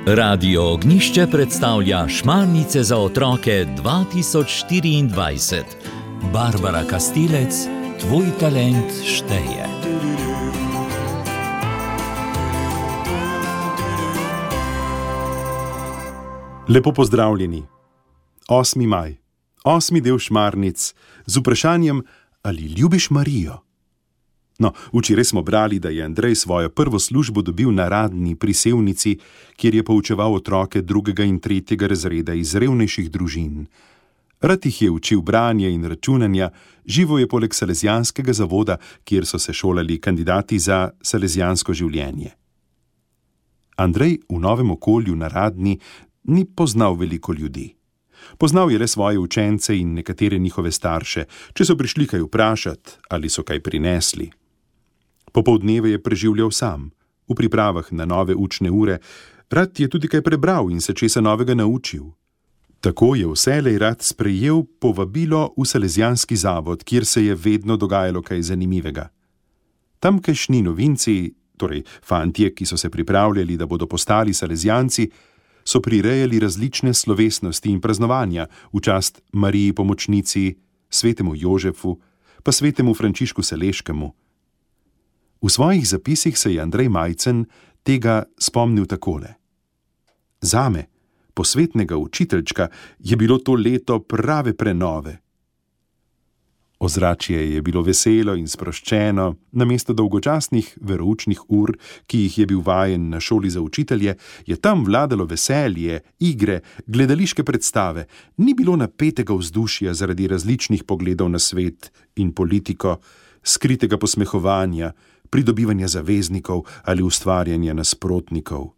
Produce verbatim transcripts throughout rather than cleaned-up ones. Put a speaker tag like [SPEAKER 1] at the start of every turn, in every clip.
[SPEAKER 1] Radio Ognjišče predstavlja Šmarnice za otroke dva tisoč štiriindvajset. Barbara Kastilec, tvoj talent šteje.
[SPEAKER 2] Lepo pozdravljeni. osmi maj, osmi del Šmarnic z vprašanjem, ali ljubiš Marijo? No, včeraj smo brali, da je Andrej svojo prvo službo dobil na Radni pri Sevnici, kjer je poučeval otroke drugega in tretjega razreda iz revnejših družin. Rad jih je učil branja in računanja, živo je poleg Salezijanskega zavoda, kjer so se šolali kandidati za salezijansko življenje. Andrej v novem okolju na Radni ni poznal veliko ljudi. Poznal je le svoje učence in nekatere njihove starše, če so prišli kaj vprašati ali so kaj prinesli. Popoldneve je preživljal sam, v pripravah na nove učne ure, rad je tudi kaj prebral in se česa novega naučil. Tako je vselej rad sprejel povabilo v Salezijanski zavod, kjer se je vedno dogajalo kaj zanimivega. Tamkajšnji novinci, torej fantje, ki so se pripravljali, da bodo postali Salezijanci, so prirejali različne slovesnosti in praznovanja v čast Mariji Pomočnici, svetemu Jožefu, pa svetemu Frančišku Saleškemu. V svojih zapisih se je Andrej Majcen tega spomnil takole. Zame, posvetnega učiteljčka, je bilo to leto prave prenove. Ozračje je bilo veselo in sproščeno, namesto dolgočasnih veroučnih ur, ki jih je bil vajen na šoli za učitelje, je tam vladalo veselje, igre, gledališke predstave, ni bilo napetega vzdušja zaradi različnih pogledov na svet in politiko, skritega posmehovanja, pridobivanja zaveznikov ali ustvarjanja nasprotnikov.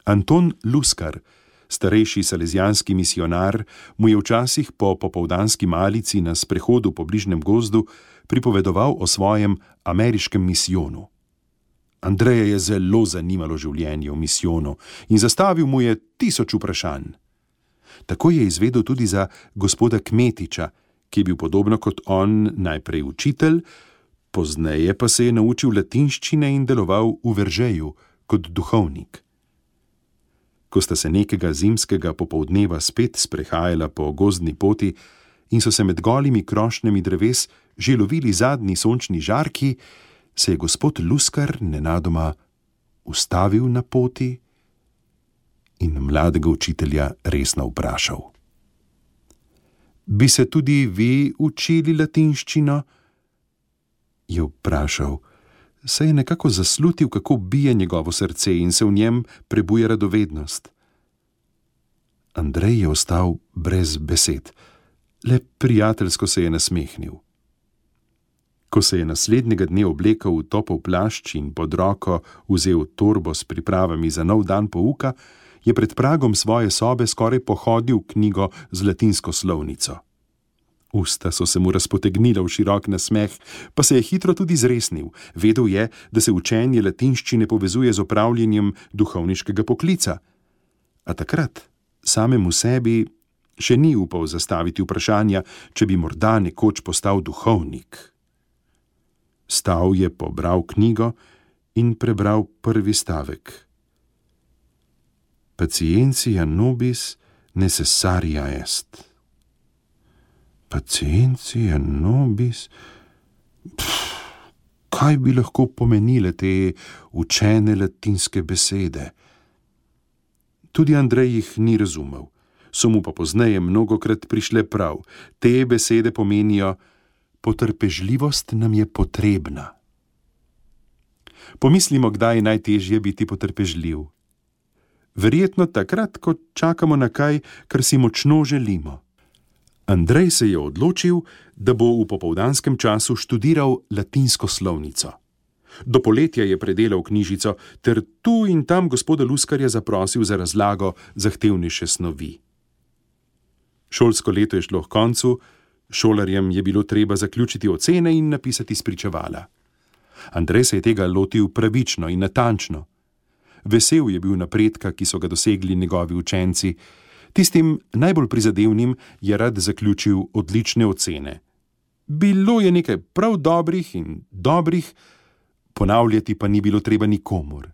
[SPEAKER 2] Anton Luskar, starejši salezijanski misionar, mu je včasih po popoldanski malici na sprehodu po bližnjem gozdu pripovedoval o svojem ameriškem misijonu. Andreja je zelo zanimalo življenje v misijonu in zastavil mu je tisoč vprašanj. Tako je izvedel tudi za gospoda Kmetiča, ki je bil podobno kot on najprej učitelj, pozneje pa se je naučil latinščine in deloval v Veržeju kot duhovnik. Ko sta se nekega zimskega popoldneva spet sprehajala po gozdni poti in so se med golimi krošnjami dreves že lovili zadnji sončni žarki, se je gospod Luskar nenadoma ustavil na poti in mladega učitelja resno vprašal. Bi se tudi vi učili latinščino? Je vprašal, saj je nekako zaslutil, kako bije njegovo srce in se v njem prebuja radovednost. Andrej je ostal brez besed, le prijateljsko se je nasmehnil. Ko se je naslednjega dne oblekel v topel plašč in pod roko vzel torbo s pripravami za nov dan pouka, je pred pragom svoje sobe skoraj pohodil knjigo z latinsko slovnico. Usta so se mu razpotegnila v širok nasmeh, pa se je hitro tudi zresnil. Vedel je, da se učenje latinščine povezuje z opravljanjem duhovniškega poklica. A takrat samemu sebi še ni upal zastaviti vprašanja, če bi morda nekoč postal duhovnik. Stal je, pobral knjigo in prebral prvi stavek. Patientia nobis necessaria est. Patientia nobis... Pff, kaj bi lahko pomenile te učene latinske besede? Tudi Andrej jih ni razumel, so mu pa pozneje mnogokrat prišle prav. Te besede pomenijo, potrpežljivost nam je potrebna. Pomislimo, kdaj je najtežje biti potrpežljiv. Verjetno takrat, ko čakamo na kaj, kar si močno želimo. Andrej se je odločil, da bo v popoldanskem času študiral latinsko slovnico. Do poletja je predelal knjižico ter tu in tam gospoda Luskarja zaprosil za razlago zahtevnejše snovi. Šolsko leto je šlo k koncu, šolarjem je bilo treba zaključiti ocene in napisati spričevala. Andrej se je tega lotil pravično in natančno. Vesel je bil napredka, ki so ga dosegli njegovi učenci. Tistim najbolj prizadevnim je rad zaključil odlične ocene. Bilo je nekaj prav dobrih in dobrih, ponavljati pa ni bilo treba nikomur.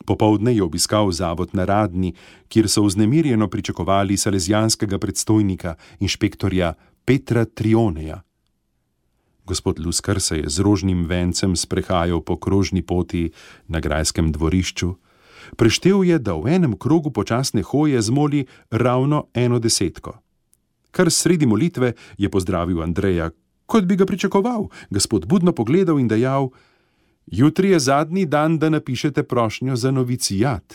[SPEAKER 2] Popoldne je obiskal zavod na Radni, kjer so vznemirjeno pričakovali salezijanskega predstojnika, inšpektorja Petra Trioneja. Gospod Luskar se je z rožnim vencem sprehajal po krožni poti na grajskem dvorišču. Preštel je, da v enem krogu počasne hoje zmoli ravno eno desetko. Kar sredi molitve je pozdravil Andreja, kot bi ga pričakoval, gospod budno pogledal in dejal: Jutri je zadnji dan, da napišete prošnjo za novicijat.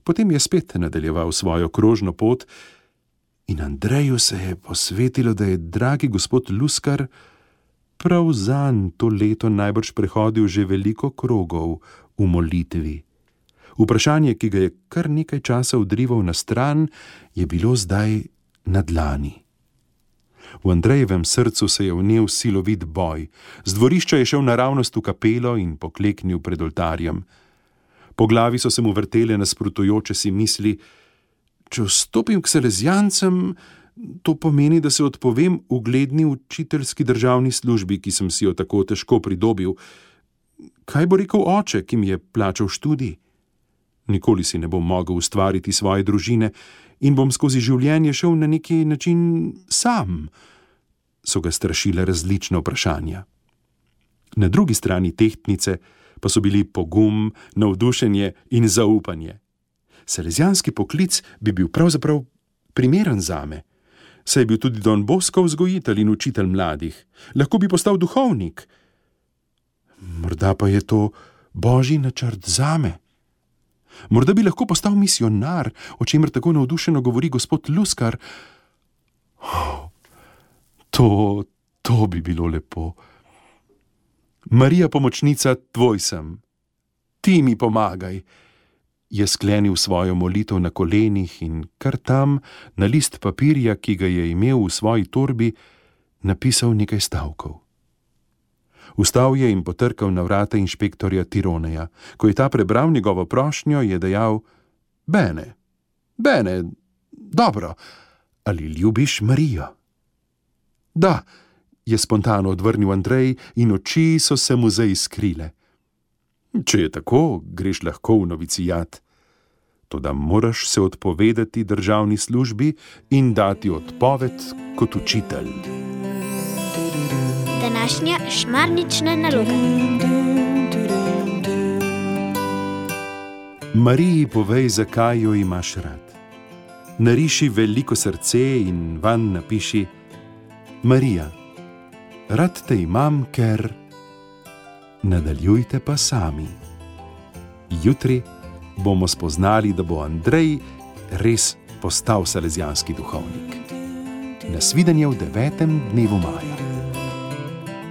[SPEAKER 2] Potem je spet nadaljeval svojo krožno pot in Andreju se je posvetilo, da je dragi gospod Luskar prav zanj to leto najbrž prehodil že veliko krogov v molitvi. Vprašanje, ki ga je kar nekaj časa odrival na stran, je bilo zdaj na dlani. V Andrejevem srcu se je vnel silovit boj. Z dvorišča je šel naravnost v kapelo in pokleknil pred oltarjem. Po glavi so se mu vrtele nasprotujoče si misli: če vstopim k salezijancem, to pomeni, da se odpovem ugledni učiteljski državni službi, ki sem si jo tako težko pridobil. Kaj bo rekel oče, ki mi je plačal študij? Nikoli si ne bom mogel ustvariti svoje družine in bom skozi življenje šel na neki način sam, so ga strašile različne vprašanja. Na drugi strani tehtnice pa so bili pogum, navdušenje in zaupanje. Salezijanski poklic bi bil pravzaprav primeren zame, saj je bil tudi Don Bosco vzgojitelj in učitelj mladih. Lahko bi postal duhovnik. Morda pa je to božji načrt zame. Morda bi lahko postal misionar, o čemer tako navdušeno govori gospod Luskar. Oh, to, to bi bilo lepo. Marija pomočnica, tvoj sem. Ti mi pomagaj. Je sklenil svojo molitev na kolenih in kar tam, na list papirja, ki ga je imel v svoji torbi, napisal nekaj stavkov. Vstal je in potrkal na vrata inšpektorja Tironeja. Ko je ta prebral njegovo prošnjo, je dejal: Bene, bene, dobro, ali ljubiš Marijo? Da, je spontano odvrnil Andrej in oči so se mu zaiskrile. Če je tako, greš lahko v novicijat. Toda moraš se odpovedati državni službi in dati odpoved kot učitelj.
[SPEAKER 3] Današnja šmarnična naloga.
[SPEAKER 2] Mariji povej, zakaj jo imaš rad. Nariši veliko srce in vanj napiši: Marija, rad te imam, ker... Nadaljujte pa sami. Jutri bomo spoznali, da bo Andrej res postal salezijanski duhovnik. Nasvidenje v devetem dnevu maja.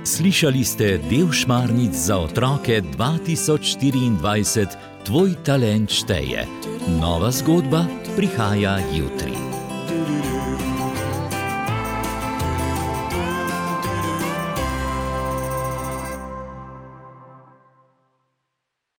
[SPEAKER 1] Slišali ste del Šmarnic za otroke dva tisoč štiriindvajset. Tvoj talent šteje. Nova zgodba prihaja jutri.